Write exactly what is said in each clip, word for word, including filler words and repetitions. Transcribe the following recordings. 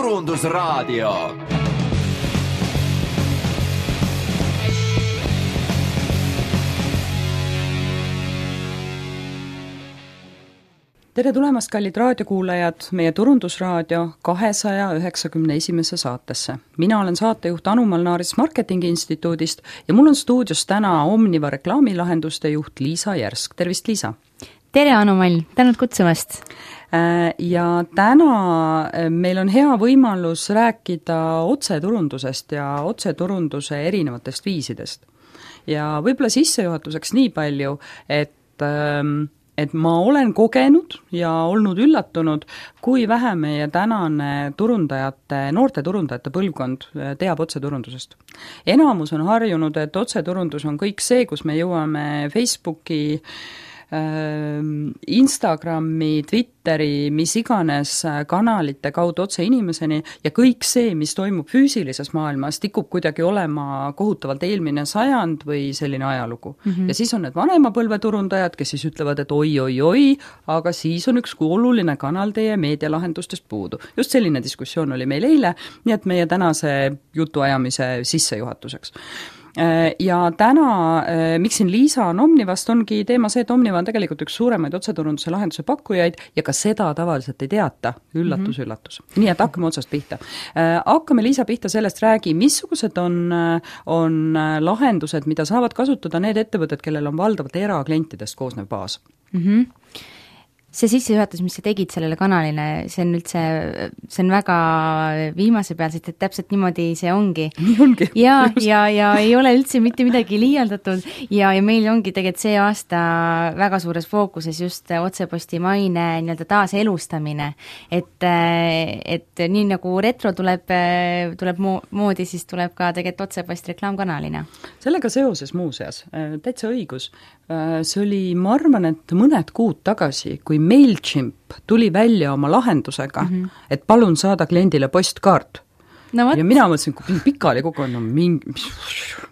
Turundusraadio. Tere tulemast, kallid raadiokuulajad, meie Turundusraadio kahesaja üheksakümne esimesse saatesse. Mina olen saatejuht Anu Malnaaris Marketingi Instituudist ja mul on stuudios täna Omniva reklaamilahenduste juht Liisa Järsk. Tervist, Liisa! Tere, Anu Mall! Tänud kutsumast! Ja täna meil on hea võimalus rääkida otseturundusest ja otseturunduse erinevatest viisidest. Ja võib-olla sissejuhatuseks nii palju, et et ma olen kogenud ja olnud üllatunud, kui vähe meie tänane turundajate, noorte turundajate põlvkond teab otseturundusest. Enamus on harjunud, et otseturundus on kõik see, kus me jõuame Facebooki, Instagrami, Twitteri, mis iganes kanalite kaudu otse inimeseni ja kõik see, mis toimub füüsilises maailmas, tikub kuidagi olema kohutavalt eelmine sajand või selline ajalugu. Mm-hmm. Ja siis on need vanema põlveturundajad, kes siis ütlevad, et oi, oi, oi, aga siis on üks oluline kanal teie meedialahendustest puudu. Just selline diskussioon oli meil eile, nii et meie tänase jutuajamise sissejuhatuseks. Ja täna, miks siin Liisa on Omnivast, ongi teema see, et Omniva on tegelikult üks suuremaid otseturunduse lahenduse pakkujaid ja ka seda tavaliselt ei teata. Üllatus, mm-hmm. üllatus. Nii et hakkame otsast pihta. Hakkame Liisa pihta sellest räägi, missugused on, on lahendused, mida saavad kasutada need ettevõtted, kellel on valdavalt eraklientidest koosnev baas. Mhm. See sissejuhatus, mis sa tegid sellele kanalile, see on üldse, see on väga viimase peal, sest et täpselt niimoodi see ongi. Nii ongi. Ja, ja, ja ei ole üldse mitte midagi liialdatud ja, ja meil ongi tegelikult see aasta väga suures fookuses just otseposti maine nii-öelda taas elustamine. Et, et nii nagu retro tuleb, tuleb moodi, siis tuleb ka tegelikult otsepost reklaamkanalina. Sellega seoses muuseas, täitsa õigus. See oli, ma arvan, et mõned kuud tagasi, kui MailChimp tuli välja oma lahendusega, mm-hmm. et palun saada kliendile postkaart. No, ja mina mõtlesin, kui pikali kogu on, no, mingi,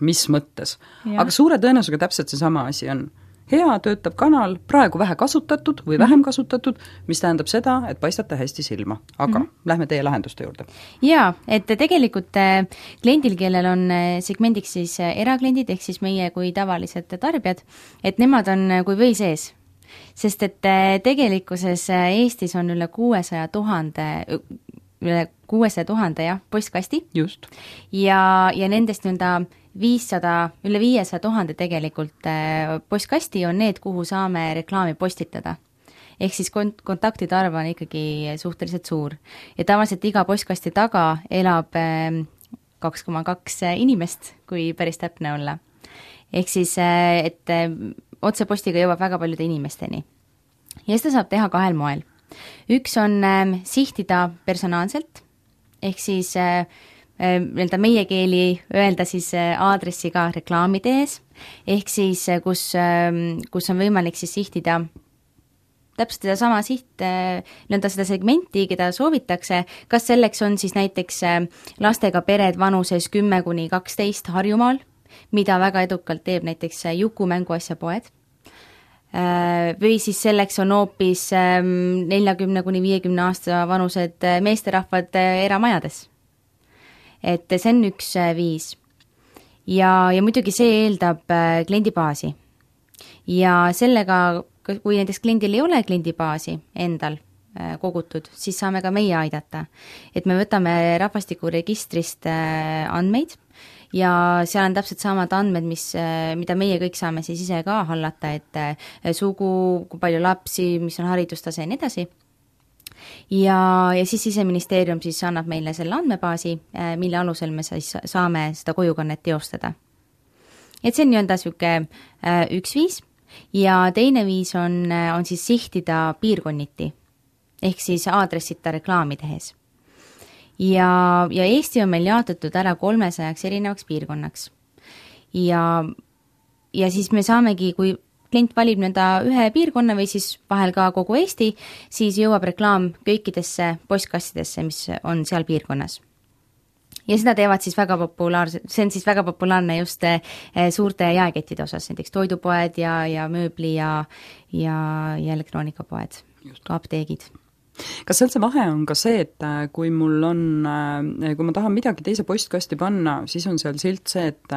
mis mõttes. Ja. Aga suure tõenäosusega täpselt see sama asi on. Hea töötab kanal, praegu vähe kasutatud või vähem kasutatud, mis tähendab seda, et paistate hästi silma. Aga mm-hmm. lähme teie lahenduste juurde. Jaa, et tegelikult kliendil, kellel on segmendiks siis erakliendid, ehk siis meie kui tavalised tarbijad, et nemad on kui või sees. Sest et tegelikkuses Eestis on üle kuuesaja tuhande, üle kuuesaja tuhande jah, postkasti. Just. Ja, ja nendest nii-öelda viissada, üle viiesaja tuhande tegelikult postkasti on need, kuhu saame reklaami postitada. Ehk siis kont- kontaktide arv on ikkagi suhteliselt suur. Ja tavaliselt iga postkasti taga elab kaks koma kaks inimest, kui päris täpne olla. Ehk siis, et otsepostiga jõuab väga paljude inimesteni. Ja seda saab teha kahel moel. Üks on äh, sihtida personaalselt, ehk siis äh, äh, meie keeli öelda siis äh, aadressiga reklaamide ees, ehk siis äh, kus, äh, kus on võimalik siis sihtida täpselt seda sama siht, äh, nõnda seda segmenti, keda soovitakse, kas selleks on siis näiteks äh, lastega pered vanuses kümme kuni kaksteist Harjumaal, mida väga edukalt teeb näiteks Juku mänguasja poed. Või siis selleks on hoopis neljakümne kuni viiekümne aasta vanused meesterahvad eramajades. Et see on üks viis. Ja, ja muidugi see eeldab kliendibaasi. Ja sellega, kui näiteks kliendil ei ole kliendibaasi endal kogutud, siis saame ka meie aidata. Et me võtame rahvastikuregistrist andmeid, ja seal on täpselt samad andmed, mis, mida meie kõik saame siis ise ka hallata, et sugu, kui palju lapsi, mis on haridustase ja nii edasi. Ja, ja siis Siseministeerium siis annab meile selle andmebaasi, mille alusel me siis saame seda kojukannet teostada. Et see on nii-öelda siuke üks viis ja teine viis on, on siis sihtida piirkonniti, ehk siis aadressita reklaami tehes. Ja, ja Eesti on meil jaotatud ära kolmesajaks erinevaks piirkonnaks. Ja, ja siis me saamegi, kui klient valib nende ühe piirkonna või siis vahel ka kogu Eesti, siis jõuab reklaam kõikidesse postkastidesse, mis on seal piirkonnas. Ja seda teevad siis väga populaarse, see on siis väga populaarne just suurte jaekettide osas, näiteks toidupoed ja, ja mööbli ja, ja, ja elektroonikapoed, ka apteegid. kas seal see vahe on ka see, et kui mul on, kui ma tahan midagi teise postkasti panna, siis on seal silt see, et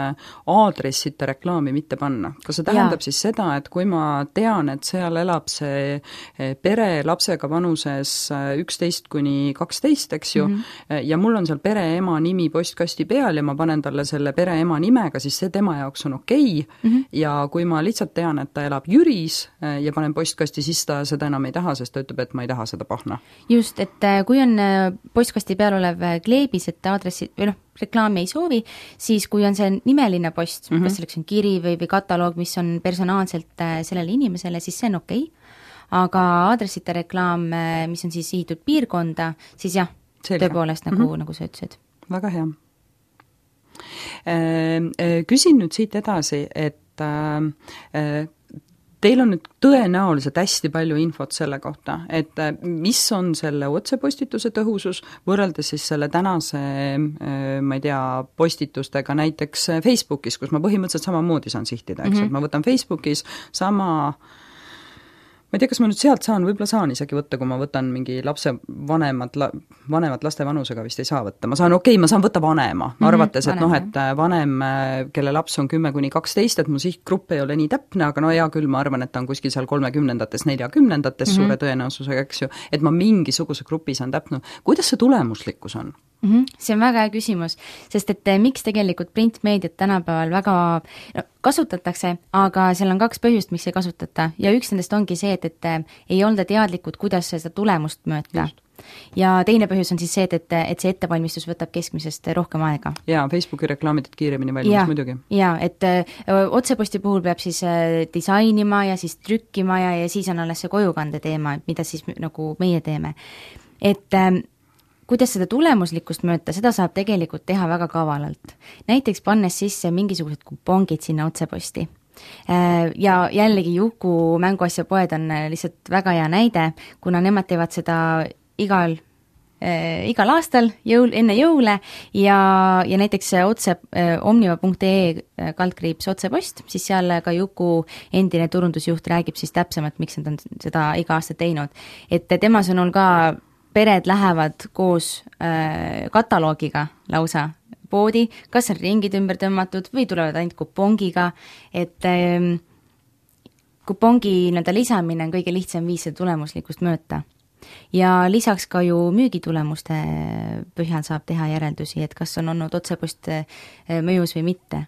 aadressita reklaami mitte panna. Kas see tähendab ja. Siis seda, et kui ma tean, et seal elab see pere lapsega vanuses üksteist kuni kaksteist, eks ju, mm-hmm. ja mul on seal pere ema nimi postkasti peal ja ma panen talle selle pere ema nimega, siis see tema jaoks on okei okay. mm-hmm. ja kui ma lihtsalt tean, et ta elab Jüris ja panen postkasti, siis ta seda enam ei taha, sest ta ütleb, et ma ei taha seda pahna. Just, et kui on postkasti peal olev kleebis, et aadressi või noh, reklaami ei soovi, siis kui on see nimeline post, mm-hmm. kas selleks on kiri või, või kataloog, mis on personaalselt sellele inimesele, siis see on okei. Aga aadressita reklaam, mis on siis sihitud piirkonda, siis jah, Selge. Tõepoolest, nagu, mm-hmm. nagu sa ütlesid. Väga hea. Küsin nüüd siit edasi, et teil on nüüd tõenäoliselt hästi palju infot selle kohta, et mis on selle otsepostituse tõhusus võrreldes siis selle tänase, ma ei tea, postitustega näiteks Facebookis, kus ma põhimõtteliselt samamoodi saan sihtida, eks, mm-hmm. et ma võtan Facebookis sama ma ei tea, kas ma nüüd sealt saan, võib-olla saan isegi võtta, kui ma võtan mingi lapse vanemad, la, vanemad laste vanusega vist ei saa võtta. Ma saan, okei okay,, ma saan võtta vanema, mm-hmm, arvates, et noh, et vanem, kelle laps on kümme kuni kaksteist, et mu sihtgrupp ei ole nii täpne, aga no hea küll, ma arvan, et ta on kuskil seal kolmekümnendates, neljakümnendates mm-hmm. suure tõenäosusega, eks ju, et ma mingisuguse grupi saan täpne. Kuidas see tulemuslikkus on? Mm-hmm. See on väga hea küsimus, sest et miks tegelikult printmeediat tänapäeval väga no, kasutatakse, aga seal on kaks põhjust, miks ei kasutata ja üks nendest ongi see, et, et ei olda teadlikud, kuidas seda tulemust mõõta. Ja teine põhjus on siis see, et, et, et see ettevalmistus võtab keskmisest rohkem aega. Jaa, Facebooki reklaamid kiiremini valmis ja, muidugi. Jaa, et öö, otseposti puhul peab siis öö, disainima ja siis trükkima ja, ja siis on alles see kojukande teema, mida siis nagu meie teeme. Et öö, kuidas seda tulemuslikkust mõõta, seda saab tegelikult teha väga kavalalt. Näiteks pannes sisse mingisugused kupongid sinna otseposti. Ja jällegi Juku mänguasjapoed on lihtsalt väga hea näide, kuna nemad teevad seda igal, äh, igal aastal jõul, enne jõule ja, ja näiteks otse äh, omniva punkt ee kaldkriips otsepost, siis seal ka Juku endine turundusjuht räägib siis täpsemalt, miks nad on seda iga aasta teinud. Et tema sõnul ka pered lähevad koos äh, kataloogiga lausa poodi, kas on ringid ümber tõmmatud või tulevad ainult kupongiga, et äh, kupongi nii-öelda lisamine on kõige lihtsam viis seda tulemuslikkust mõõta. Ja lisaks ka ju müügitulemuste põhjal saab teha järeldusi, et kas on olnud otsepost mõjus või mitte.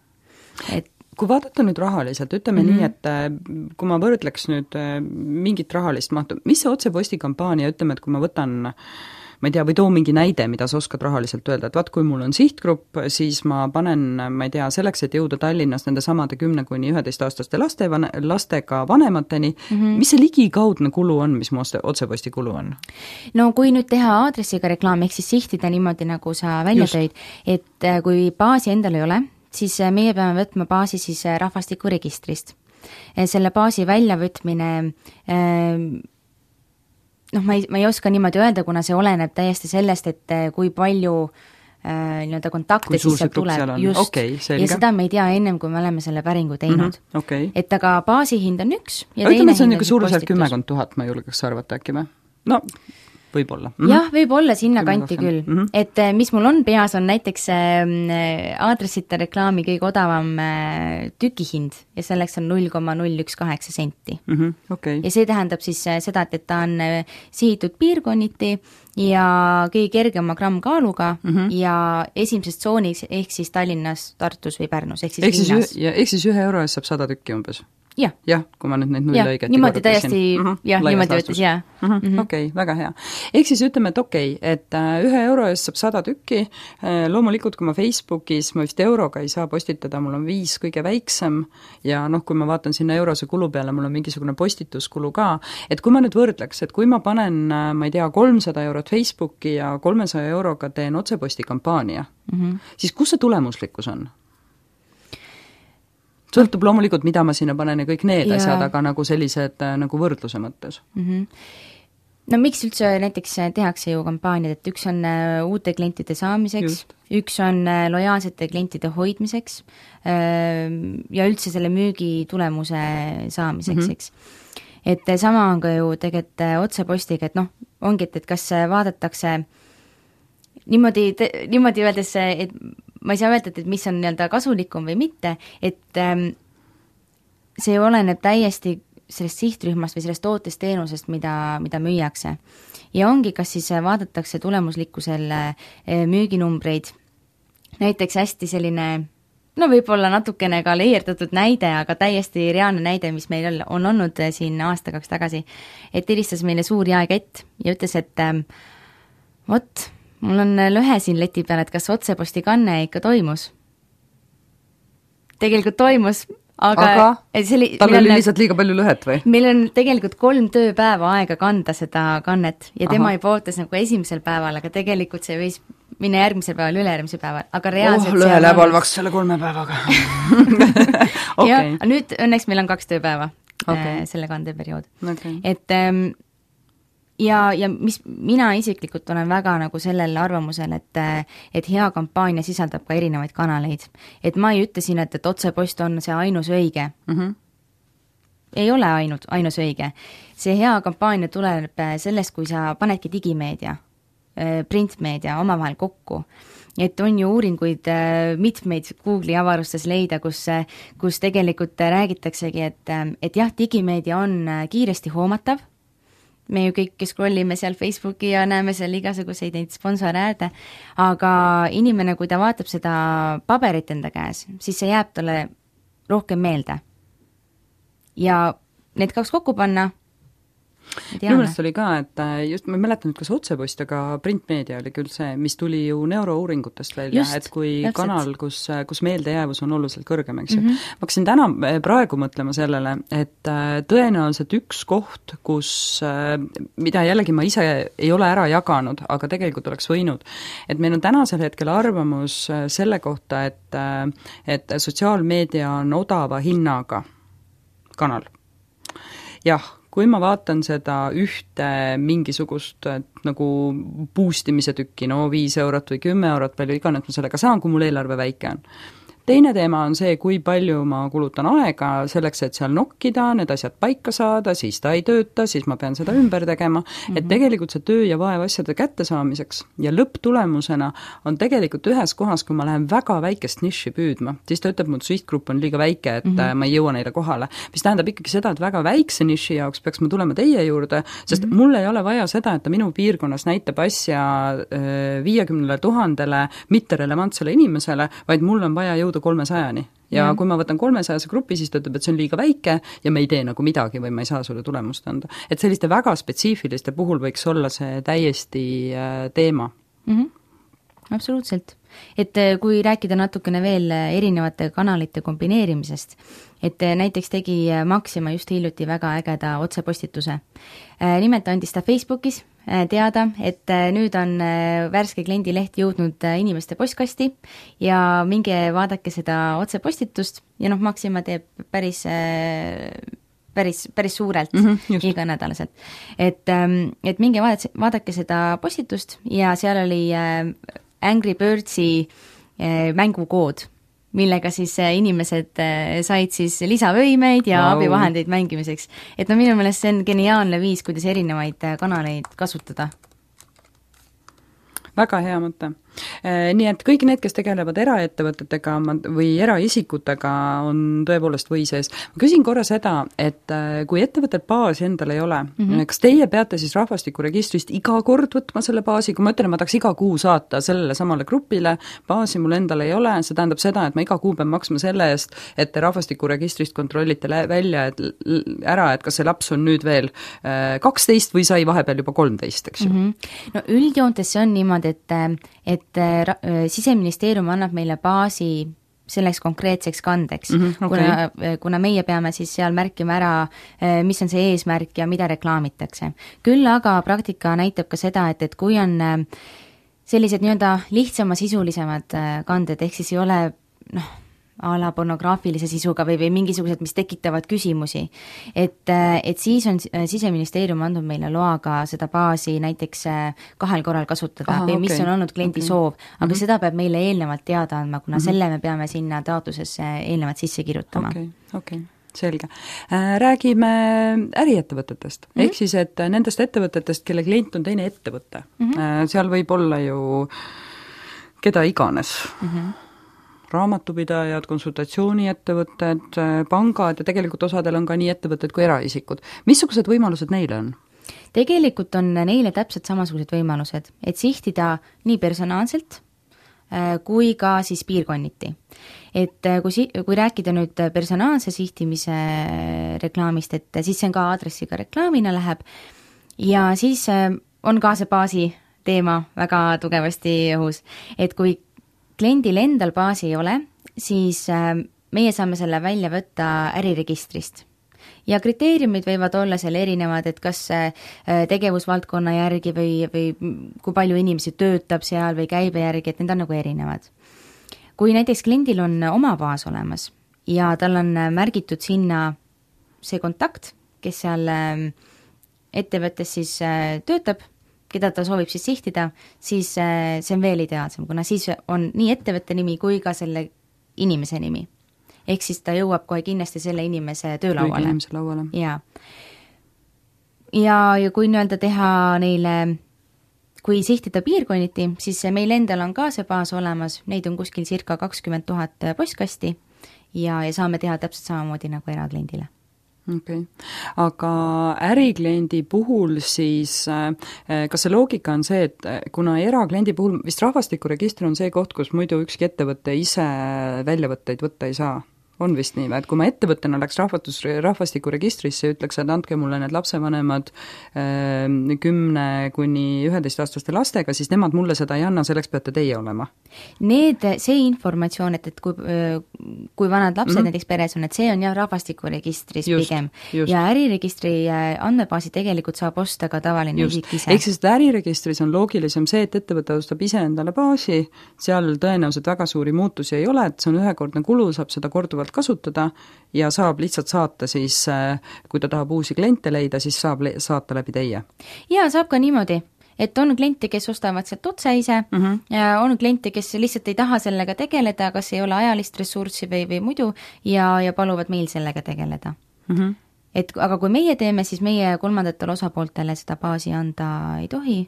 Et kui vaadata nüüd rahaliselt, ütleme mm-hmm. nii, et kui ma võrdleks nüüd mingit rahalist mahtu, mis see otseposti kampaania, ütleme, et kui ma võtan, ma ei tea, või too mingi näide, mida sa oskad rahaliselt öelda, et vaat kui mul on sihtgrupp, siis ma panen, ma ei tea, selleks, et jõuda Tallinnas nende samade kümne kuni üheteistaastaste laste, lastega vanemateni, mm-hmm. mis see ligikaudne kulu on, mis mu otseposti kulu on? No kui nüüd teha aadressiga reklaami, ehk siis sihtida niimoodi, nagu sa välja Just. Tõid, et kui baasi endal ei ole, siis meie peame võtma baasi siis rahvastikuregistrist. Selle baasi väljavõtmine, noh, ma ei, ma ei oska niimoodi öelda, kuna see oleneb täiesti sellest, et kui palju nii-öelda kontakte siis seal tuleb. Just, okay, ja seda me ei tea ennem, kui me oleme selle päringu teinud. Mm-hmm, okay. Et aga baasi hind on üks. Ja ütleme, see on niisugune suuruselt kümmekond tuhat, ma julgeks arvata äkki või? No, võib-olla. Mm-hmm. Jah, võib-olla sinna kanti küll. Mm-hmm. Et mis mul on peas, on näiteks äh, aadressita reklaami kõige odavam äh, tükihind ja selleks on null koma null üks kaheksa senti. Mm-hmm. Okay. Ja see tähendab siis äh, seda, et, et ta on äh, sihitud piirkonniti ja kõige kergema grammkaaluga mm-hmm. ja esimeses tsoonis ehk siis Tallinnas, Tartus või Pärnus ehk siis ehk linnas. Siis, ehk siis ühe euro eest saab sada tükki umbes? jah, ja, kui ma nüüd neid null õigeti niimoodi täiesti, mm-hmm, jah, niimoodi võttes, jah. Mm-hmm, mm-hmm. Okei, okay, väga hea. Ehk siis ütleme, et okei, okay, et ühe euro eest saab sada tükki, loomulikult, kui ma Facebookis, ma vist euroga ei saa postitada, mul on viis kõige väiksem ja noh, kui ma vaatan sinna eurose kulu peale, mul on mingisugune postituskulu ka, et kui ma nüüd võrdleks, et kui ma panen, ma ei tea, kolmsada eurot Facebooki ja kolmesaja euroga teen otseposti kampaania, mm-hmm. siis kus see tulemuslikkus on? Sõltub loomulikult, mida ma sinna panen ja kõik need ja. Asjad, aga nagu sellised nagu võrdluse mõttes. Mm-hmm. No miks üldse näiteks tehakse ju kampaaniad, et üks on uute klientide saamiseks, Just. Üks on lojaalsete klientide hoidmiseks ja üldse selle müügi tulemuse saamiseks, mm-hmm. eks. et sama on ka ju tegelikult otsepostiga, et noh, ongi, et, et kas vaadatakse niimoodi, niimoodi öeldes, et ma ei saa öelda, et, et mis on nii-öelda kasulikum või mitte, et ähm, see oleneb täiesti sellest sihtrühmast või sellest tootest teenusest, mida, mida müüakse. Ja ongi, kas siis vaadatakse tulemuslikkusel müüginumbreid, näiteks hästi selline, no võib-olla natukene ka leierdatud näide, aga täiesti reaalne näide, mis meil on olnud siin aasta kaks tagasi, et helistas meile suur jaekett ja ütles, et vot, mul on lõhe siin leti peal, et kas otseposti kanne ikka toimus? Tegelikult toimus, aga, aga oli, tal oli lihtsalt liiga palju lõhet või? Meil on tegelikult kolm tööpäeva aega kanda seda kannet ja tema Aha. juba ootas nagu esimesel päeval, aga tegelikult see võis minna järgmisel päeval, ülejärgmisel päeval, aga reaalselt oh, lõhe läheb halvaks selle kolme päevaga. okay. Ja nüüd õnneks meil on kaks tööpäeva okay. selle kandeperiood. Okay. Et ja, ja mis mina isiklikult olen väga nagu sellel arvamusel, et, et hea kampaania sisaldab ka erinevaid kanaleid. Et ma ei ütle siin, et, et otsepost on see ainus õige. Mm-hmm. Ei ole ainult, ainus õige. See hea kampaania tuleb sellest, kui sa panedki digimeedia, printmeedia omavahel kokku. Et on ju uuringuid mitmeid Google'i avarustes leida, kus, kus tegelikult räägitaksegi, et, et jah, digimeedia on kiiresti hoomatav, me ju kõik scrollime seal Facebooki ja näeme seal igasuguseid neid sponsorääde, aga inimene, kui ta vaatab seda paberit enda käes, siis see jääb talle rohkem meelde. Ja need kaks kokku panna, minu meelest oli ka, et just ma mäletan, et kas otsepost, aga printmeedia oli küll see, mis tuli ju neurouuringutest välja, just, et kui täpselt. Kanal, kus, kus meeldejäävus on oluliselt kõrgem, eks ju. Mm -hmm. ma hakkasin täna praegu mõtlema sellele, et tõenäoliselt üks koht, kus, mida jällegi ma ise ei ole ära jaganud, aga tegelikult oleks võinud, et meil on tänasel hetkel arvamus selle kohta, et, et sotsiaalmeedia on odava hinnaga kanal. Jah, kui ma vaatan seda ühte mingisugust nagu boostimise tükki, no viis eurot või kümme eurot, palju iganes ma sellega saan, kui mul eelarve väike on. Teine teema on see, kui palju ma kulutan aega selleks, et seal nokkida, need asjad paika saada, siis ta ei tööta, siis ma pean seda ümber tegema, mm-hmm. et tegelikult see töö ja vaev asjade kättesaamiseks ja lõpptulemusena on tegelikult ühes kohas, kui ma lähen väga väikest niši püüdma, siis ta ütleb, mu sihtgrupp on liiga väike, et mm-hmm. ma ei jõua neile kohale, mis tähendab ikkagi seda, et väga väikse niši jaoks peaks ma tulema teie juurde, sest mm-hmm. mul ei ole vaja seda, et ta minu piirkonnas näitab asja viiekümnele tuhandele mitterelevantsele inimesele, vaid mul on vaja jõuda kolmesajani. Ja mm. kui ma võtan kolmesajase grupi, siis ta ütleb, et see on liiga väike ja me ei tee nagu midagi või ma ei saa sulle tulemust anda. Et selliste väga spetsiifiliste puhul võiks olla see täiesti teema. Mm-hmm. Absoluutselt. Et kui rääkida natukene veel erinevate kanalite kombineerimisest, et näiteks tegi Maxima just hiljuti väga ägeda otsepostituse. Nimelt andis ta Facebookis teada, et nüüd on värske kliendileht jõudnud inimeste postkasti ja minge vaadake seda otsepostitust ja noh, Maxima teeb päris, päris, päris suurelt mm-hmm, iga nädalaselt. Et, et minge vaadake, vaadake seda postitust ja seal oli Angry Birdsi mängukood, millega siis inimesed said siis lisavõimeid ja wow. abivahendeid mängimiseks. Et no minu meelest see on geniaalne viis, kuidas erinevaid kanaleid kasutada. Väga hea mõte. Nii et kõik need, kes tegelevad eraettevõtetega või eraisikutega, on tõepoolest või sees. Ma küsin korra seda, et kui ettevõttel baasi endal ei ole, mm-hmm. kas teie peate siis rahvastikuregistrist iga kord võtma selle baasi, kui ma ütlen, ma tahaks iga kuu saata sellele samale grupile, baasi mul endal ei ole, see tähendab seda, et ma iga kuu pean maksma selle eest, et te rahvastikuregistrist kontrollite välja et ära, et kas see laps on nüüd veel kaksteist või sai vahepeal juba kolmteist, eks ju? Mm-hmm. No üldjoontes see on niimoodi, et, et Siseministeerium annab meile baasi selleks konkreetseks kandeks, mm-hmm, okay. kuna, kuna meie peame siis seal märkima ära, mis on see eesmärk ja mida reklaamitakse. Küll aga praktika näitab ka seda, et, et kui on sellised nii-öelda lihtsama sisulisemad kanded, ehk siis ei ole noh, a la pornograafilise sisuga või, või mingisugused, mis tekitavad küsimusi. Et, et siis on Siseministeerium andnud meile loaga seda baasi näiteks kahel korral kasutada Aha, või mis okay. on olnud kliendi okay. soov, aga mm-hmm. seda peab meile eelnevalt teada andma, kuna mm-hmm. selle me peame sinna taotlusesse eelnevalt sisse kirjutama. Okay. Okay. selge. Räägime äriettevõtetest, mm-hmm. ehk siis, et nendest ettevõtetest, kelle klient on teine ettevõte. Mm-hmm. Seal võib olla ju keda iganes. Mm-hmm. Raamatupidajad, konsultatsiooniettevõtted, pangad ja tegelikult osadel on ka nii ettevõtted kui eraisikud. Missugused võimalused neile on? Tegelikult on neile täpselt samasugused võimalused, et sihtida nii personaalselt kui ka siis piirkonniti. Et kui, si- kui rääkida nüüd personaalse sihtimise reklaamist, et siis see on ka aadressiga reklaamina läheb ja siis on ka see baasi teema väga tugevasti õhus. Et kui kliendil endal baasi ei ole, siis meie saame selle välja võtta äriregistrist. Ja kriteeriumid võivad olla seal erinevad, et kas tegevusvaldkonna järgi või, või kui palju inimesi töötab seal või käibe järgi, et need on nagu erinevad. Kui näiteks kliendil on oma baas olemas ja tal on märgitud sinna see kontakt, kes seal ettevõttes siis töötab, keda ta soovib siis sihtida, siis see on veel ideaalsem, kuna siis on nii ettevõtte nimi kui ka selle inimese nimi. Ehk siis ta jõuab kohe kindlasti selle inimese töölauale. Inimese lauale. Ja. Ja, ja kui nii-öelda teha neile, kui sihtida piirkonniti, siis meil endal on ka see baas olemas, neid on kuskil circa kakskümmend tuhat postkasti ja, ja saame teha täpselt samamoodi nagu erakliendile. Okay. Aga ärikliendi puhul siis, kas see loogika on see, et kuna erakliendi puhul vist rahvastikuregistri on see koht, kus muidu ükski ettevõte ise väljavõtteid võtta ei saa? On vist nii, et kui ma ettevõttena läks rahvatus, rahvastikuregistrisse ja ütleks, et andke mulle need lapsevanemad kümne kuni üheteistaastaste lastega, siis nemad mulle seda ei anna, selleks peate teie olema. Need, see informatsioon, et, et kui, kui vanad lapsed mm-hmm. näiteks peres on, et see on jah rahvastikuregistris just, pigem. Just. Ja äriregistri andmebaasi tegelikult saab osta ka tavaline just. Isik ise. Ehk siis äriregistris on loogilisem see, et ettevõte ostab ise endale baasi, seal tõenäoliselt väga suuri muutusi ei ole, et see on ühekordne kulu, saab seda korduvalt kasutada ja saab lihtsalt saata siis, kui ta tahab uusi kliente leida, siis saab le- saata läbi teie. Ja saab ka niimoodi, et on kliente, kes ostavad sealt otse ise mm-hmm. ja on kliente, kes lihtsalt ei taha sellega tegeleda, kas ei ole ajalist ressurssi või, või muidu ja, ja paluvad meil sellega tegeleda. Mm-hmm. Et, aga kui meie teeme, siis meie kolmandatele osapooltele seda baasi anda ei tohi.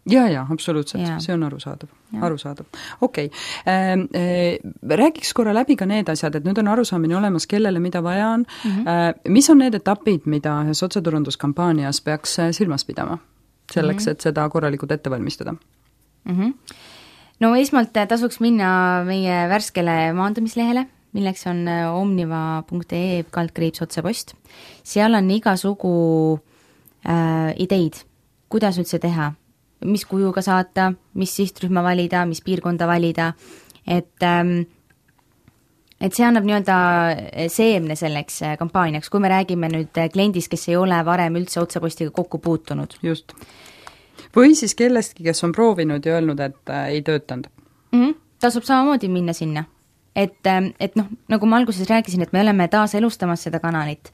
Ja, ja, absoluutselt, ja. See on arusaadav, arusaadav. Okei, okay. äh, räägiks korra läbi ka need asjad, et nüüd on arusaamine olemas, kellele mida vaja on. Mm-hmm. Äh, mis on need etapid, mida ühes otseturunduskampaanias peaks silmas pidama selleks, mm-hmm. et seda korralikult ette valmistada? Mm-hmm. No esmalt tasuks minna meie värskele maandumislehele, milleks on omniva punkt ee kaldkriips otsepost. Seal on igasugu äh, ideid, kuidas üldse teha, mis kujuga saata, mis sihtrühma valida, mis piirkonda valida, et, et see annab nii-öelda seemne selleks kampaaniaks, kui me räägime nüüd kliendist, kes ei ole varem üldse otsepostiga kokku puutunud. Just. Või siis kellestki, kes on proovinud ja öelnud, et ei töötanud. Mm-hmm. Tasub samamoodi minna sinna. Et, et noh, nagu ma alguses rääkisin, et me oleme taas elustamas seda kanalit.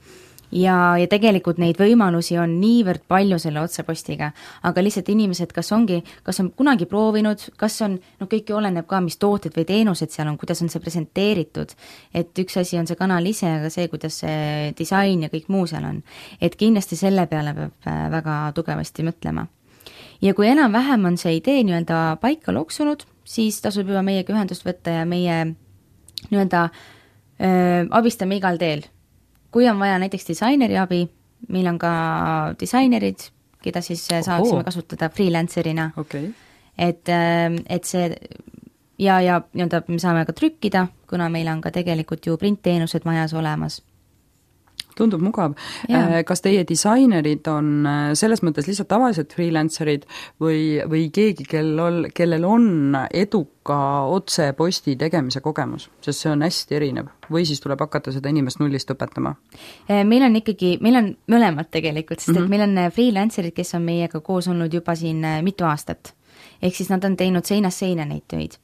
Ja, ja tegelikult neid võimalusi on niivõrd palju selle otsepostiga, aga lihtsalt inimesed, kas ongi, kas on kunagi proovinud, kas on, no kõiki oleneb ka, mis tooted või teenused seal on, kuidas on see presenteeritud, et üks asi on see kanal ise, aga see, kuidas see disain ja kõik muu seal on, et kindlasti selle peale peab väga tugevasti mõtlema. Ja kui enam-vähem on see idee nii-öelda paika loksunud, siis tasub juba meiega ühendust võtta ja meie nii-öelda öö, abistame igal teel. Kui on vaja näiteks disaineri abi, meil on ka disainerid, keda siis saaksime kasutada freelancerina. Okay. Et, et see ja, ja nii-öelda me saame ka trükkida, kuna meil on ka tegelikult ju printteenused majas olemas. Tundub mugav. Ja. Kas teie disainerid on selles mõttes lihtsalt tavalised freelancerid või, või keegi, kellel, kellel on eduka otseposti tegemise kogemus, sest see on hästi erinev, või siis tuleb hakata seda inimest nullist õpetama? Meil on ikkagi, meil on mõlemad tegelikult, sest mm-hmm. et meil on freelancerid, kes on meiega koos olnud juba siin mitu aastat. Ehk siis nad on teinud seinast seina neid töid,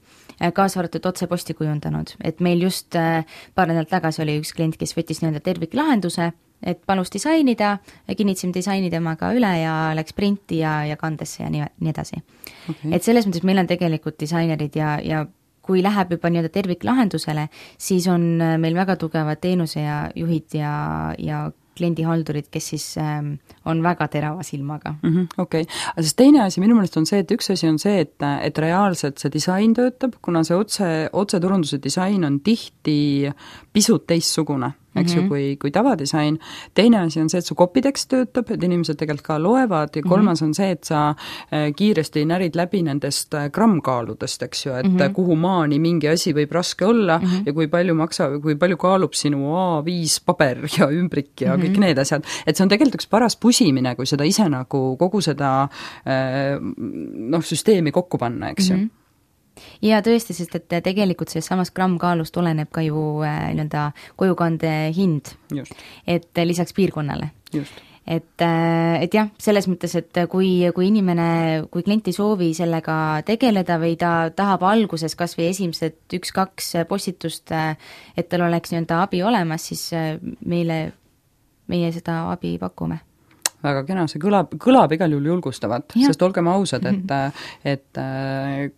kaasa arvatud otseposti kujundanud, et meil just paar nädalat tagasi oli üks klient, kes võttis nii-öelda terviklahenduse, et palus disainida, kinnitasime disaini temaga üle ja läks printi ja, ja kandesse ja nii, nii edasi. Okay. Et selles mõttes meil on tegelikult disainerid ja, ja kui läheb juba nii-öelda terviklahendusele, siis on meil väga tugevad teenuse ja juhid ja, ja kliendihaldurid, kes siis ähm, on väga terava silmaga. Mm-hmm, okei, okay. Sest teine asi minu meelest on see, et üks asi on see, et, et reaalselt see disain töötab, kuna see otse, otseturunduse disain on tihti pisut teistsugune, eks mm-hmm. ju, kui, kui tavadisain. Teine asi on see, et su copytext töötab, et inimesed tegelikult ka loevad ja kolmas mm-hmm. on see, et sa kiiresti närid läbi nendest grammkaaludest, eks ju, et mm-hmm. kuhu maani mingi asi võib raske olla mm-hmm. ja kui palju maksa, kui palju kaalub sinu A viis paber ja ümbrik ja mm-hmm. kõik need asjad. Et see on tegelikult üks paras pusimine, kui seda ise nagu kogu seda noh, süsteemi kokku panna, eks ju. Mm-hmm. Ja tõesti, sest et tegelikult sellest samast grammkaalust oleneb ka ju äh, nii-öelda kojukande hind. Just. Et äh, lisaks piirkonnale. Just. Et, äh, et jah, selles mõttes, et kui, kui inimene, kui klient ei soovi sellega tegeleda või ta tahab alguses kas või esimesed üks-kaks postitust, et tal oleks nii-öelda abi olemas, siis meile, meie seda abi pakume. Väga kena, see kõlab, kõlab igal juhul julgustavat, ja. Sest olgem ausad, et, et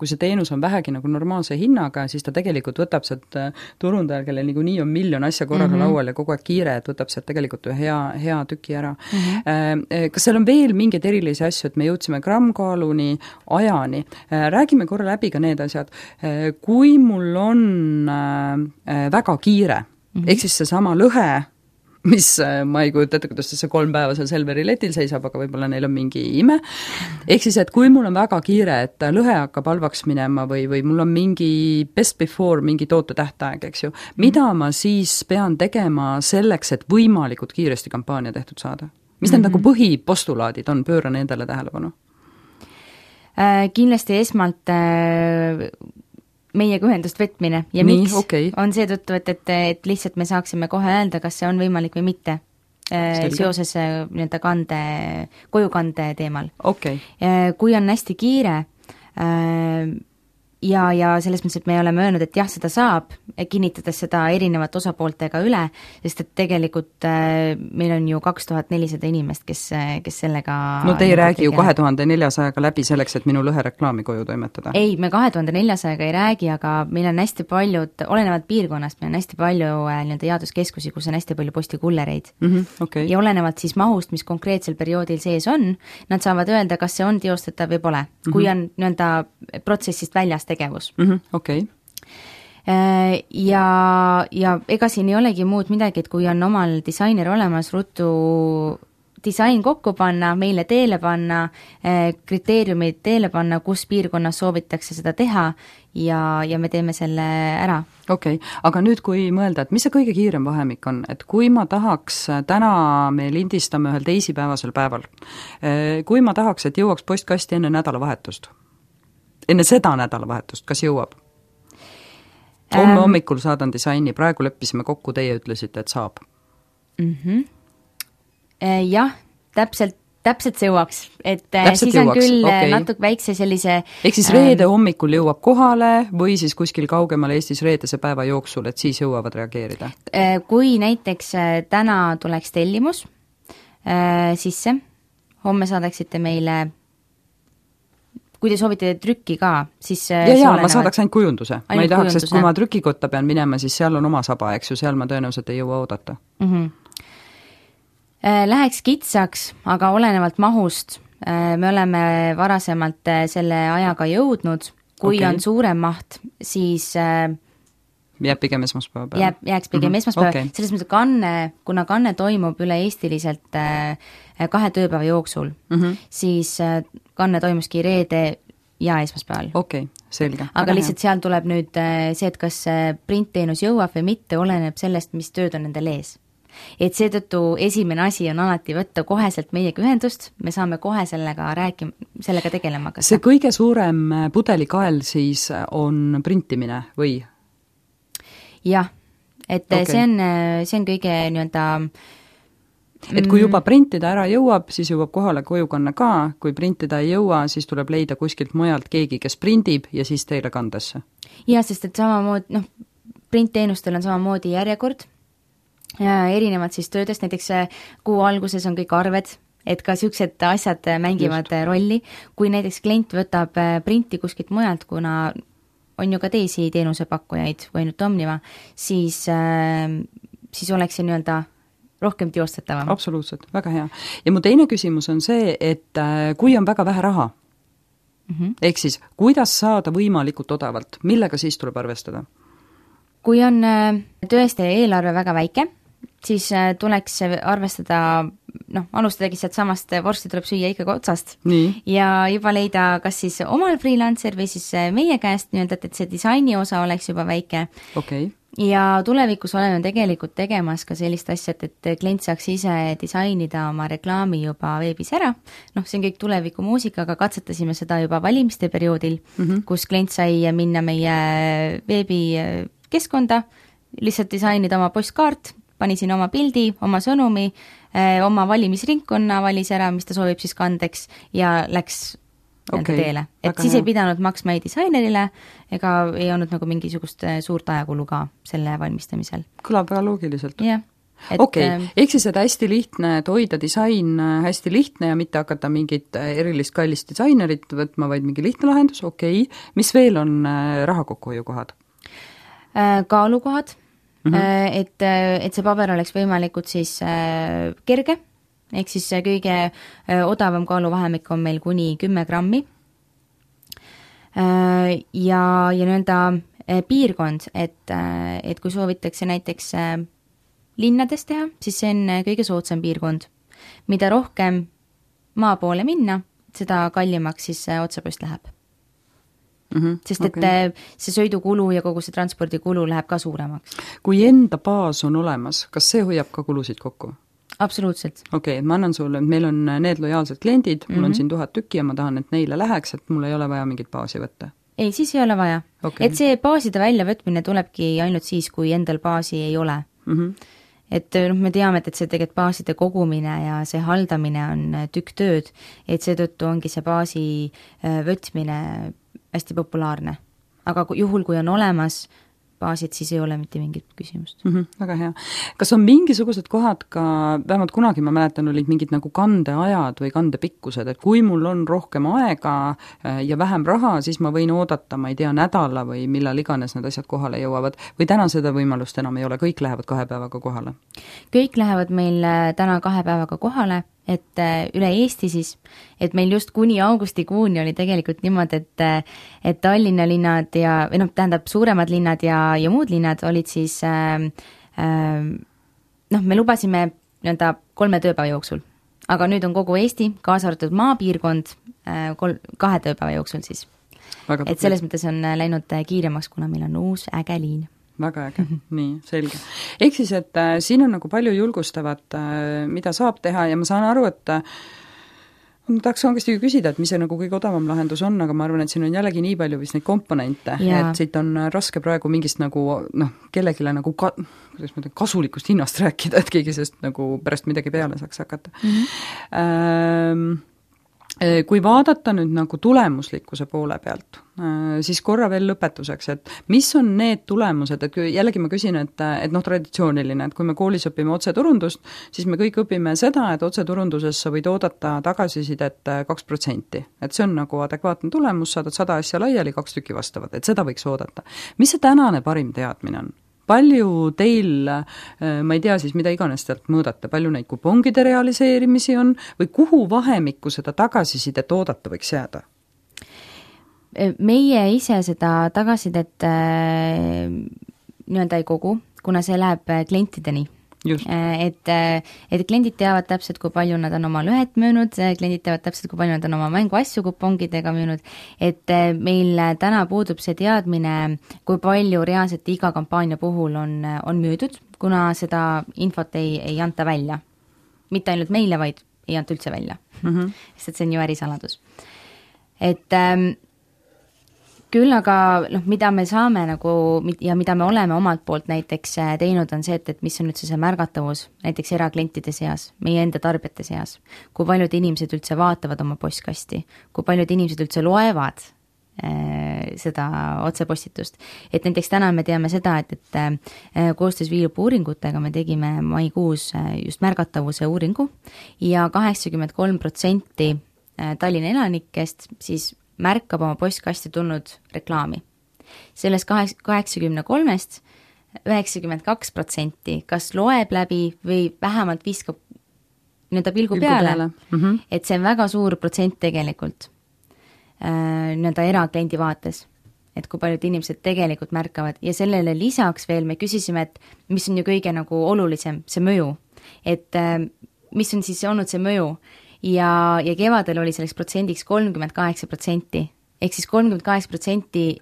kui see teenus on vähegi nagu normaalse hinnaga, siis ta tegelikult võtab sealt turundajal, kellel niikuinii on miljon asja korraga mm-hmm. laual ja kogu aeg kiire, et võtab sealt tegelikult ühe hea, hea tüki ära. Mm-hmm. Kas seal on veel mingeid erilisi asju, et me jõudsime grammkaaluni ajani? Räägime korra läbi ka need asjad. Kui mul on väga kiire, mm-hmm. ehk siis see sama lõhe, mis ma ei kujuta ette, kuidas see kolm päeva seal Selveri letil seisab, aga võib-olla neil on mingi ime. Ehk siis, et kui mul on väga kiire, et lõhe hakkab halvaks minema või, või mul on mingi best before, mingi toote tähtaeg, eks ju, mida ma siis pean tegema selleks, et võimalikult kiiresti kampaania tehtud saada? Mis need mm-hmm. nagu põhipostulaadid on, pööra nendele tähelepanu? Äh, kindlasti esmalt äh, meiega ühendust võtmine ja Nii, miks okay. on seetõttu, et, et, et lihtsalt me saaksime kohe öelda, kas see on võimalik või mitte Selge. Seoses nii-öelda kande, kojukande teemal. Okay. Kui on hästi kiire ja, ja selles mõttes, et me oleme öelnud, et jah, seda saab, kinnitades seda erinevate osapooltega üle, sest et tegelikult äh, meil on ju kaks tuhat nelisada inimest, kes, kes sellega... No te ei räägi ju kahe tuhande neljasajaga läbi selleks, et minu lõhe reklaami koju toimetada. Ei, me kahe tuhande neljasajaga ei räägi, aga meil on hästi paljud, olenevalt piirkonnast, meil on hästi palju äh, nii-öelda jaotuskeskusi, kus on hästi palju postikullereid. Mm-hmm, okay. Ja olenevalt siis mahust, mis konkreetsel perioodil sees on, nad saavad öelda, kas see on teostatav või pole. Mm-hmm. Kui on nii-öelda protsessist väljas tegevus. Mm-hmm, okei. Okay. Ja, ja ega siin ei olegi muud midagi, et kui on omal disainer olemas, ruttu disain kokku panna, meile teele panna, kriteeriumid teele panna, kus piirkonnas soovitakse seda teha ja, ja me teeme selle ära. Okei, okay. Aga nüüd kui mõelda, et mis see kõige kiirem vahemik on, et kui ma tahaks, täna me lindistame ühel teisipäevasel päeval, kui ma tahaks, et jõuaks postkasti enne nädalavahetust, enne seda nädalavahetust, kas jõuab? Homme ähm, hommikul saadan disaini, praegu leppisime kokku, teie ütlesite, et saab. Mm-hmm. Äh, jah, täpselt, täpselt see jõuaks, et täpselt siis jõuaks. On küll okay. Natuke väikse sellise... Ehk siis reede ähm, hommikul jõuab kohale või siis kuskil kaugemal Eestis reedese päeva jooksul, et siis jõuavad reageerida? Äh, kui näiteks täna tuleks tellimus äh, sisse, homme saadaksite meile... Kui te soovite trükki ka, siis... Ja, ja, ma saadaks ainult kujunduse. Ainult ma ei tahaks, sest kui ma trükikotta pean minema, siis seal on oma saba, eks ju, seal ma tõenäoliselt ei jõua oodata. Mm-hmm. Läheks kitsaks, aga olenevalt mahust, me oleme varasemalt selle ajaga jõudnud, kui okay. on suurem maht, siis... Jääb pigem esmaspäeva peale. Jääb, jääks pigem mm-hmm. esmaspäeva. Okay. Selles mõttes kanne, kuna kanne toimub üle eestiliselt kahe tööpäeva jooksul, mm-hmm. siis kanne toimuski reede ja esmaspäeval. Okei, okay, selge. Aga lihtsalt seal tuleb nüüd see, et kas printteenus jõuab või mitte, oleneb sellest, mis tööd on nendel ees. Et seetõttu esimene asi on alati võtta koheselt meiega ühendust, me saame kohe sellega rääkima, sellega tegelema. Kas see kõige suurem pudelikael siis on printimine või? Jah, et okay. see on, see on kõige nii-öelda et kui juba printida ära jõuab, siis jõuab kohale kojukanne ka, kui printida ei jõua, siis tuleb leida kuskilt mujalt keegi, kes prindib ja siis teile kandesse. Ja, sest et samamoodi, noh, printteenustel on samamoodi järjekord, erinevad siis töödest, näiteks kuu alguses on kõik arved, et ka siuksed asjad mängivad Just. rolli, kui näiteks klient võtab printi kuskilt mujalt, kuna on ju ka teisi teenusepakkujaid või ainult Omniva, siis, siis oleks see nii-öelda rohkem teostatavam. Absoluutselt, väga hea. Ja mu teine küsimus on see, et kui on väga vähe raha, mm-hmm. ehk siis kuidas saada võimalikult odavalt, millega siis tuleb arvestada? Kui on tõesti eelarve väga väike, siis tuleks arvestada, noh, alustadagi sealt samast, vorsti tuleb süüa ikkagi otsast. Nii. Ja juba leida kas siis omal freelancer või siis meie käest nii-öelda, et see disaini osa oleks juba väike. Okay. Ja tulevikus oleme tegelikult tegemas ka sellist asja, et klient saaks ise disainida oma reklaami juba veebis ära. Noh, see on kõik tuleviku muusika, aga katsetasime seda juba valimiste perioodil, mm-hmm. kus klient sai minna meie veebi keskkonda, lihtsalt disainida oma postkaart, pani siin oma pildi, oma sõnumi, oma valimisringkonna valis ära, mis ta soovib siis kandeks ja läks okay. teele. Et Aga siis hea. Ei pidanud maksma ei disainerile ega ei olnud nagu mingisugust suurt ajakulu ka selle valmistamisel. Kõlab väga loogiliselt. Jah. Okei, okay. Ehk siis, et hästi lihtne, et hoida disain hästi lihtne ja mitte hakata mingit erilist kallist disainerit võtma, vaid mingi lihtne lahendus, okei. Okay. Mis veel on raha kokkuhoiukohad? Kaalukohad, mm-hmm. et, et see paber oleks võimalikult siis kerge, ehk siis kõige odavam kaaluvahemik on meil kuni kümme grammi. Ja, ja nõnda piirkond, et, et kui soovitakse näiteks linnades teha, siis see on kõige soodsam piirkond. Mida rohkem maa poole minna, seda kallimaks siis otsepost läheb. Mm-hmm. Sest et okay. see sõidukulu ja kogu see transpordikulu läheb ka suuremaks. Kui enda baas on olemas, kas see hoiab ka kulusid kokku? Absoluutselt. Okei, okay, ma annan sulle, et meil on need lojaalsed kliendid, mul mm-hmm. on siin tuhat tükki ja ma tahan, et neile läheks, et mul ei ole vaja mingit baasi võtta. Ei, siis ei ole vaja. Okay. Et see baaside väljavõtmine tulebki ainult siis, kui endal baasi ei ole. Mm-hmm. Et noh, me teame, et see tegelikult baaside kogumine ja see haldamine on tükk tööd, et seetõttu ongi see baasi võtmine hästi populaarne. Aga juhul, kui on olemas baasid, siis ei ole mitte mingit küsimust. Mm-hmm, väga hea. Kas on mingisugused kohad ka, vähemalt kunagi ma mäletan, olid mingid nagu kandeajad või kandepikkused, et kui mul on rohkem aega ja vähem raha, siis ma võin oodata, ma ei tea, nädala või millal iganes need asjad kohale jõuavad, või täna seda võimalust enam ei ole, kõik lähevad kahe päevaga kohale? Kõik lähevad meil täna kahe päevaga kohale, et üle Eesti siis, et meil just kuni augustikuuni oli tegelikult niimoodi, et, et Tallinna linnad ja, või noh, tähendab suuremad linnad ja, ja muud linnad olid siis, äh, äh, noh, me lubasime nii-öelda kolme tööpäeva jooksul, aga nüüd on kogu Eesti, kaasa arvatud maapiirkond, äh, kol- kahe tööpäeva jooksul siis. Et selles mõttes on läinud kiiremaks, kuna meil on uus äge liin. Väga äge, mm-hmm. nii, selge. Ehk siis, et äh, siin on nagu palju julgustavat, äh, mida saab teha ja ma saan aru, et äh, ma tahaks kangesti küsida, et mis see nagu kõige odavam lahendus on, aga ma arvan, et siin on jällegi nii palju vist neid komponente, ja. Et siit on raske praegu mingist nagu, noh, kellegile nagu ka, kuidas ma ütlen, kasulikust hinnast rääkida, et keegi sest nagu pärast midagi peale saaks hakata. Mm-hmm. Ähm, Kui vaadata nüüd nagu tulemuslikkuse poole pealt, siis korra veel lõpetuseks, et mis on need tulemused, et jällegi ma küsin, et, et noh, traditsiooniline, et kui me koolis õpime otseturundust, siis me kõik õpime seda, et otseturunduses sa võid oodata tagasisidet kaks protsenti. Et see on nagu adekvaatne tulemus, saadad sada asja laiali, kaks tükki vastavad, et seda võiks oodata. Mis see tänane parim teadmine on? Palju teil, ma ei tea siis, mida iganes tealt mõõdate, palju neid kupongide realiseerimisi on või kuhu vahemikku seda tagasisidet oodata võiks jääda? Meie ise seda tagasisidet nii-öelda ei kogu, kuna see läheb klientideni. Just. Et, et kliendid teavad täpselt, kui palju nad on oma lõhet müünud, kliendid teavad täpselt, kui palju nad on oma mänguasju kupongidega müünud, et meil täna puudub see teadmine, kui palju reaalselt iga kampaania puhul on, on müüdud, kuna seda infot ei, ei anta välja. Mitte ainult meile, vaid ei anta üldse välja. Mm-hmm. Sest see on ju ärisaladus. Et ähm, küll aga, noh, mida me saame nagu ja mida me oleme omalt poolt näiteks teinud, on see, et, et mis on üldse see märgatavus näiteks eraklientide seas, meie enda tarbijate seas, kui paljud inimesed üldse vaatavad oma postkasti, kui paljud inimesed üldse loevad äh, seda otsepostitust. Et näiteks täna me teame seda, et, et äh, koostöös Viilupu uuringutega me tegime maikuus äh, just märgatavuse uuringu ja kaheksakümmend kolm protsenti Tallinna elanikest siis märkab oma postkasti tulnud reklaami. sellest kaheksakümne kolmest üheksakümmend kaks protsenti kas loeb läbi või vähemalt viskab nii-öelda pilgu, pilgu peale, peale. Mm -hmm. et see on väga suur protsent tegelikult äh, nii-öelda erakliendi vaates, et kui paljud inimesed tegelikult märkavad ja sellele lisaks veel me küsisime, et mis on ju kõige nagu olulisem, see mõju, et äh, mis on siis olnud see mõju ja, ja kevadel oli selleks protsendiks kolmkümmend kaheksa protsenti, ehk siis kolmkümmend kaheksa protsenti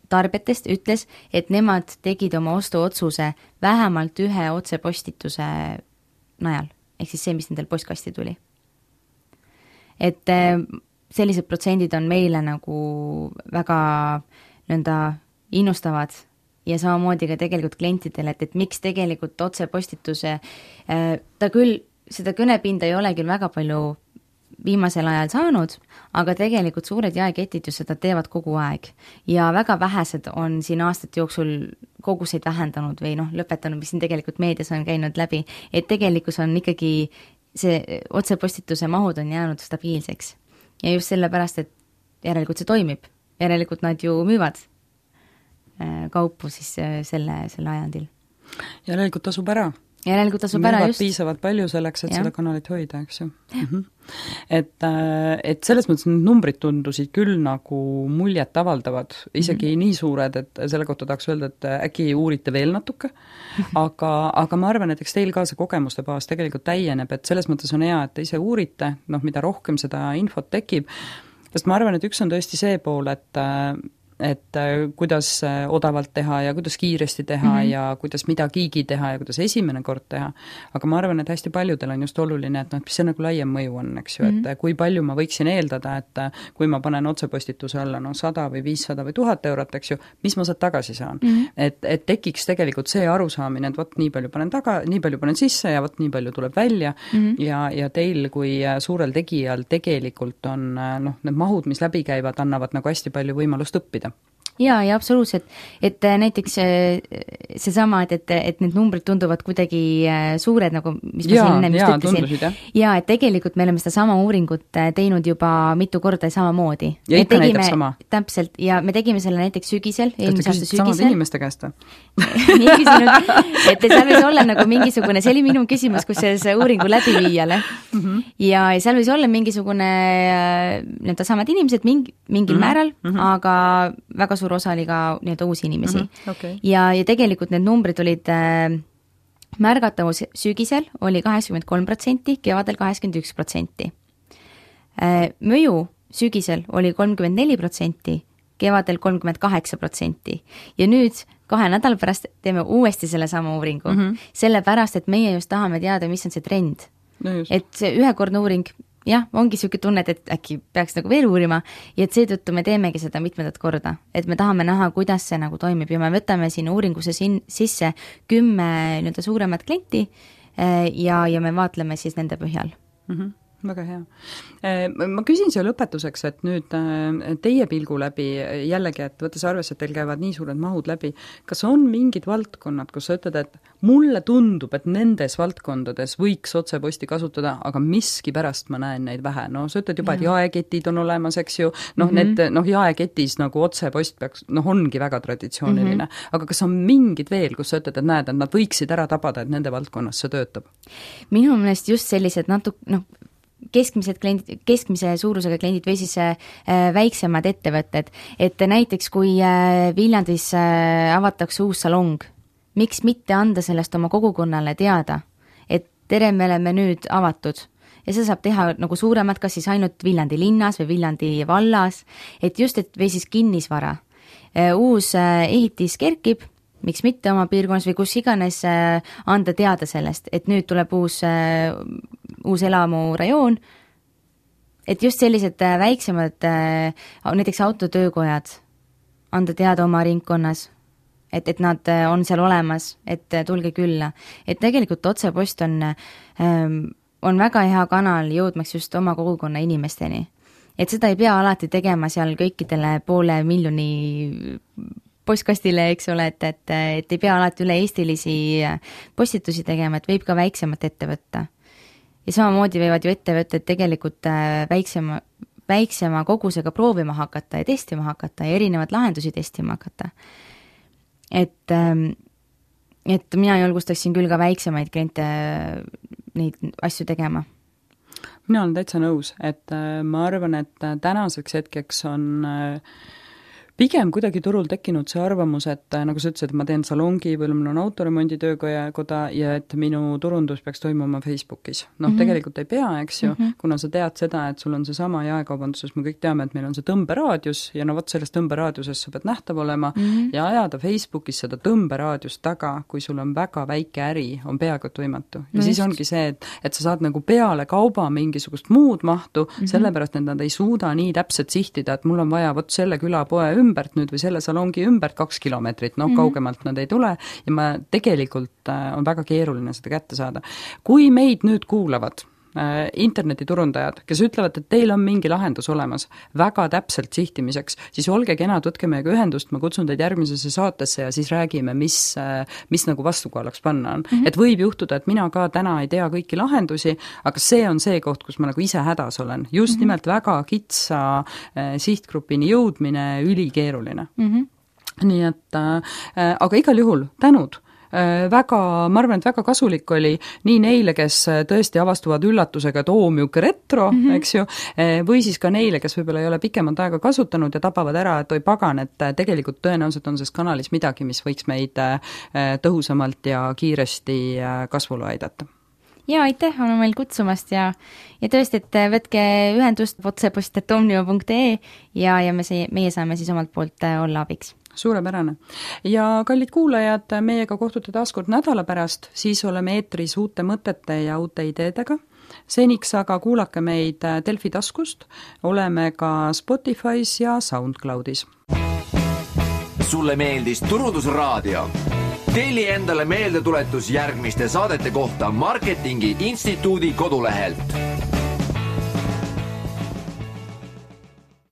tarbijatest ütles, et nemad tegid oma ostuotsuse vähemalt ühe otsepostituse najal, ehk siis see, mis nendel postkasti tuli. Et sellised protsendid on meile nagu väga nõnda innustavad ja samamoodi ka tegelikult klientidele, et, et miks tegelikult otsepostituse, ta küll, seda kõnepinda ei ole küll väga palju viimasel ajal saanud, aga tegelikult suured jaeketid ju seda teevad kogu aeg ja väga vähesed on siin aastate jooksul koguseid vähendanud või noh, lõpetanud, mis siin tegelikult meedias on käinud läbi, et tegelikkus on ikkagi see otsepostituse mahud on jäänud stabiilseks ja just sellepärast, et järelikult see toimib, järelikult nad ju müüvad kaupu siis selle, selle ajandil. Järelikult tasub ära. Järelikult tasub ära just. Piisavalt palju selleks, et ja. Seda kanalit hoida, eks ju. Mm -hmm. et, et selles mõttes need numbrid tundusid küll nagu muljet avaldavad, isegi mm -hmm. nii suured, et selle kohta tahaks öelda, et äkki uurite veel natuke, aga, aga ma arvan, et eks teil ka see kogemuste baas tegelikult täieneb, et selles mõttes on hea, et te ise uurite, noh, mida rohkem seda infot tekib, sest ma arvan, et üks on tõesti see pool, et et kuidas odavalt teha ja kuidas kiiresti teha mm -hmm. ja kuidas midagigi teha ja kuidas esimene kord teha. Aga ma arvan, et hästi paljudel on just oluline, et noh, mis see nagu laiem mõju on, eks ju, mm -hmm. et kui palju ma võiksin eeldada, et kui ma panen otsepostituse alla no sada või viissada või tuhat eurot, eks ju, mis ma sealt tagasi saan. Mm -hmm. et, et tekiks tegelikult see arusaamine, et vot nii palju panen taga, nii palju panen sisse ja vot nii palju tuleb välja mm -hmm. ja, ja teil kui suurel tegijal tegelikult on noh, need mahud, mis läbi käivad, annavad nagu hästi palju võimalust õppida. Jaa, ja absoluutselt, et näiteks seesama, et, et, et need numbrid tunduvad kuidagi suured, nagu mis ma siin enne just ütlesin. Ja, et tegelikult me oleme seda sama uuringut teinud juba mitu korda samamoodi. Ja ikka tegime, näitab sama. Täpselt, ja me tegime selle näiteks sügisel, eelmise aasta sügisel. Samad inimeste käest? Nii küsinud, et seal võis olla nagu mingisugune, see oli minu küsimus, kus see uuringu läbiviijale. Mm -hmm. ja, ja seal võis olla mingisugune need samad inimesed mingi, mingil mm -hmm. määral, mm -hmm. aga väga suur osa oli ka nii-öelda uusi inimesi. Mm-hmm, okay. ja, ja tegelikult need numbrid olid äh, märgatavus sügisel oli kaheksakümmend kolm protsenti, kevadel kaheksakümmend üks protsenti. Äh, mõju sügisel oli kolmkümmend neli protsenti, kevadel kolmkümmend kaheksa protsenti ja nüüd kahe nädala pärast teeme uuesti selle sama uuringu, mm-hmm. sellepärast, et meie just tahame teada, mis on see trend. No et see ühekordne uuring jah, ongi selline tunne, et äkki peaks nagu veel uurima ja et seetõttu me teemegi seda mitmendat korda, et me tahame näha, kuidas see nagu toimib ja me võtame siin uuringusse siin sisse kümme nii-öelda suuremat klienti ja, ja me vaatleme siis nende põhjal. Mm-hmm. Väga hea. Ma küsin siia lõpetuseks, et nüüd teie pilgu läbi jällegi, et võttes arvesse, et teil käivad nii suured mahud läbi, kas on mingid valdkonnad, kus sa ütled, et mulle tundub, et nendes valdkondades võiks otseposti kasutada, aga miski pärast ma näen neid vähe. No sa ütled juba, et jaeketid on olemas, eks ju, noh, mm-hmm. need, noh, jaeketis nagu otsepost peaks, noh, ongi väga traditsiooniline, mm-hmm. aga kas on mingid veel, kus sa ütled, et näed, et nad võiksid ära tabada, et nende valdkonnas see töötab? Minu meelest just sellised natuke, noh, keskmised kliendid, keskmise suurusega kliendid või siis äh, väiksemad ettevõtted, et näiteks kui äh, Viljandis äh, avatakse uus salong, miks mitte anda sellest oma kogukonnale teada, et tere, me oleme nüüd avatud ja see saab teha nagu suuremat, kas siis ainult Viljandi linnas või Viljandi vallas, et just, et või siis kinnisvara. Äh, uus äh, ehitis kerkib, miks mitte oma piirkonnas või kus iganes äh, anda teada sellest, et nüüd tuleb uus äh, uus elamurajoon, et just sellised väiksemad, näiteks autotöökojad, anda teada oma ringkonnas, et, et nad on seal olemas, et tulge külla. Et tegelikult otsepost on, on väga hea kanal jõudmaks just oma kogukonna inimesteni. Et seda ei pea alati tegema seal kõikidele poole miljoni postkastile, eks ole, et, et, et ei pea alati üle eestilisi postitusi tegema, et võib ka väiksemat ette võtta. Ja samamoodi võivad ju ettevõtted tegelikult väiksema, väiksema kogusega proovima hakata ja testima hakata ja erinevad lahendusi testima hakata. Et, et mina julgustaksin küll ka väiksemaid kliente neid asju tegema. Mina olen täitsa nõus, et ma arvan, et tänaseks hetkeks on pigem kuidagi turul tekkinud see arvamus, et nagu sa ütlesid, et ma teen salongi või mul on autoremondi töökoda ja et minu turundus peaks toimuma Facebookis. Noh, mm -hmm. tegelikult ei pea, eks ju, mm -hmm. kuna sa tead seda, et sul on see sama jaekaubanduses, me kõik teame, et meil on see tõmberaadius ja no vot sellest tõmberaadiusest sa pead nähtav olema mm -hmm. ja ajada Facebookis seda tõmberaadiust taga, kui sul on väga väike äri, on peaaegu et võimatu. Ja no siis just. Ongi see, et, et sa saad nagu peale kauba mingisugust muud mahtu, mm -hmm. sellepärast, et nad ei suuda nii täpselt sihtida, et mul on vaja vot selle külapoe ümbert nüüd või selle salongi ümbert kaks kilomeetrit, noh, mm -hmm. kaugemalt nad ei tule ja ma tegelikult äh, on väga keeruline seda kätte saada. Kui meid nüüd kuulavad äh, internetiturundajad, kes ütlevad, et teil on mingi lahendus olemas väga täpselt sihtimiseks, siis olge kenad, võtke meiega ühendust, ma kutsun teid järgmisesse saatesse ja siis räägime, mis, äh, mis nagu vastukohalaks panna on. Mm -hmm. Et võib juhtuda, et mina ka täna ei tea kõiki lahendusi, aga see on see koht, kus ma nagu ise hädas olen. Just mm -hmm. nimelt väga kitsa äh, sihtgrupini jõudmine ülikeeruline. Mm -hmm. Nii et, äh, aga igal juhul tänud. Väga, ma arvan, et väga kasulik oli nii neile, kes tõesti avastuvad üllatusega, et oo, miuke retro, mm -hmm. eks ju, või siis ka neile, kes võib-olla ei ole pikemat aega kasutanud ja tapavad ära, et oi pagan, et tegelikult tõenäoliselt on selles kanalis midagi, mis võiks meid tõhusamalt ja kiiresti kasvule aidata. Ja aitäh, on meil kutsumast ja, ja tõesti, et võtke ühendust otsepost et omniva punkt ee ja, ja me, see, meie saame siis omalt poolt olla abiks. Suurepärane. Ja kallid kuulajad, meiega kohtute taaskord nädala pärast, siis oleme eetris uute mõtete ja uute ideedega. Seniks aga kuulake meid Delfi taskust, oleme ka Spotify's ja SoundCloudis. Sulle meeldis Turundusraadio? Telli endale meeldetuletus järgmiste saadete kohta Marketingi Instituudi kodulehelt.